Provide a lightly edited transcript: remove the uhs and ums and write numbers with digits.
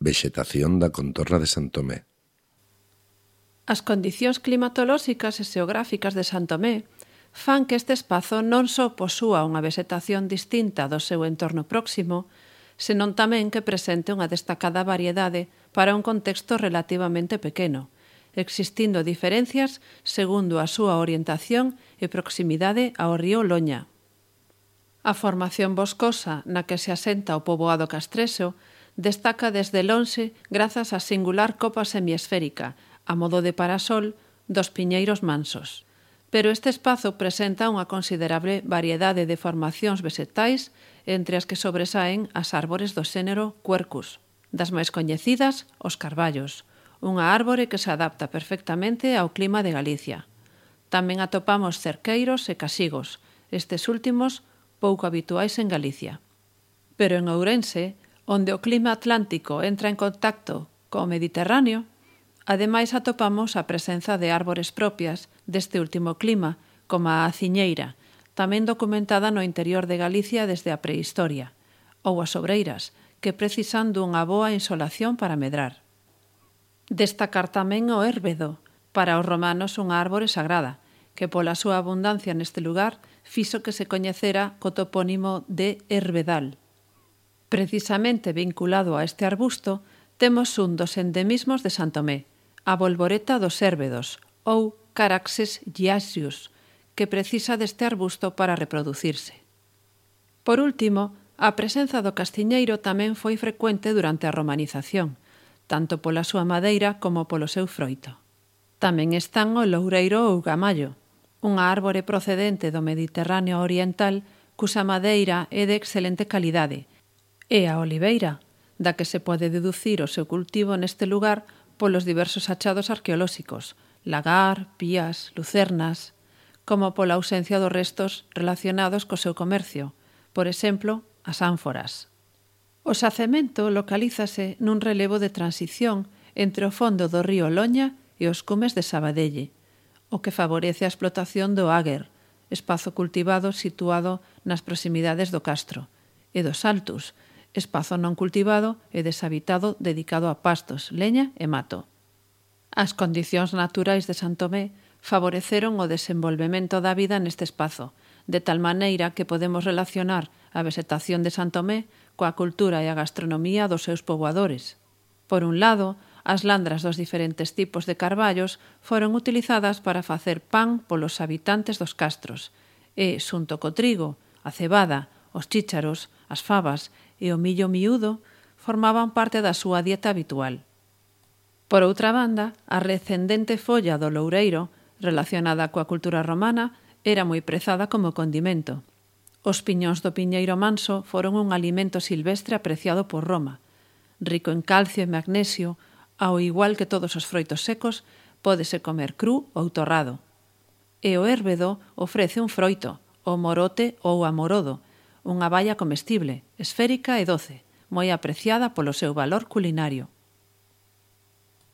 Vexetación da contorna de San Tomé. As condicións climatolóxicas e xeográficas de San Tomé fan que este espazo non só posúa unha vegetación distinta do seu entorno próximo, senón tamén que presente unha destacada variedade para un contexto relativamente pequeno, existindo diferencias segundo a súa orientación e proximidade ao río Loña. A formación boscosa na que se asenta o poboado castrexo destaca desde lonxe grazas á singular copa semiesférica, a modo de parasol, dos piñeiros mansos. Pero este espazo presenta unha considerable variedade de formacións vegetais, entre as que sobresaen as árbores do xénero Quercus. Das máis coñecidas, os carballos, unha árbore que se adapta perfectamente ao clima de Galicia. Tamén atopamos cerqueiros e casigos, estes últimos pouco habituais en Galicia. Pero en Ourense, onde o clima atlántico entra en contacto co Mediterráneo, ademais atopamos a presenza de árbores propias deste último clima, como a aciñeira, tamén documentada no interior de Galicia desde a prehistoria, ou as sobreiras, que precisan dunha boa insolación para medrar. Destacar tamén o érbedo, para os romanos unha árbore sagrada, que pola súa abundancia neste lugar fixo que se coñecera co topónimo de Herbedal. Precisamente vinculado a este arbusto, temos un dos endemismos de San Tomé, a bolboreta dos érbedos, ou Caraxes giacius, que precisa deste arbusto para reproducirse. Por último, a presenza do castiñeiro tamén foi frecuente durante a romanización, tanto pola súa madeira como polo seu froito. Tamén están o loureiro ou gamallo, unha árbore procedente do Mediterráneo oriental cusa madeira é de excelente calidade, e a oliveira, da que se pode deducir o seu cultivo neste lugar polos diversos achados arqueolóxicos, lagar, pías, lucernas, como pola ausencia dos restos relacionados co seu comercio, por exemplo, as ánforas. O xacemento localízase nun relevo de transición entre o fondo do río Loña e os cumes de Sabadelle, o que favorece a explotación do águer, espazo cultivado situado nas proximidades do castro, e dos altus, espazo non cultivado e deshabitado dedicado a pastos, leña e mato. As condicións naturais de San Tomé favoreceron o desenvolvemento da vida neste espazo, de tal maneira que podemos relacionar a vegetación de San Tomé coa cultura e a gastronomía dos seus poboadores. Por un lado, as landras dos diferentes tipos de carballos foron utilizadas para facer pan polos habitantes dos castros e, xunto co trigo, a cebada, os chícharos, as fabas e o millo miúdo formaban parte da súa dieta habitual. Por outra banda, a recendente folla do loureiro, relacionada coa cultura romana, era moi prezada como condimento. Os piñóns do piñeiro manso foron un alimento silvestre apreciado por Roma. Rico en calcio e magnesio, ao igual que todos os froitos secos, pódese comer cru ou torrado. E o érbedo ofrece un froito, o morote ou amorodo, unha baia comestible, esférica e doce, moi apreciada polo seu valor culinario.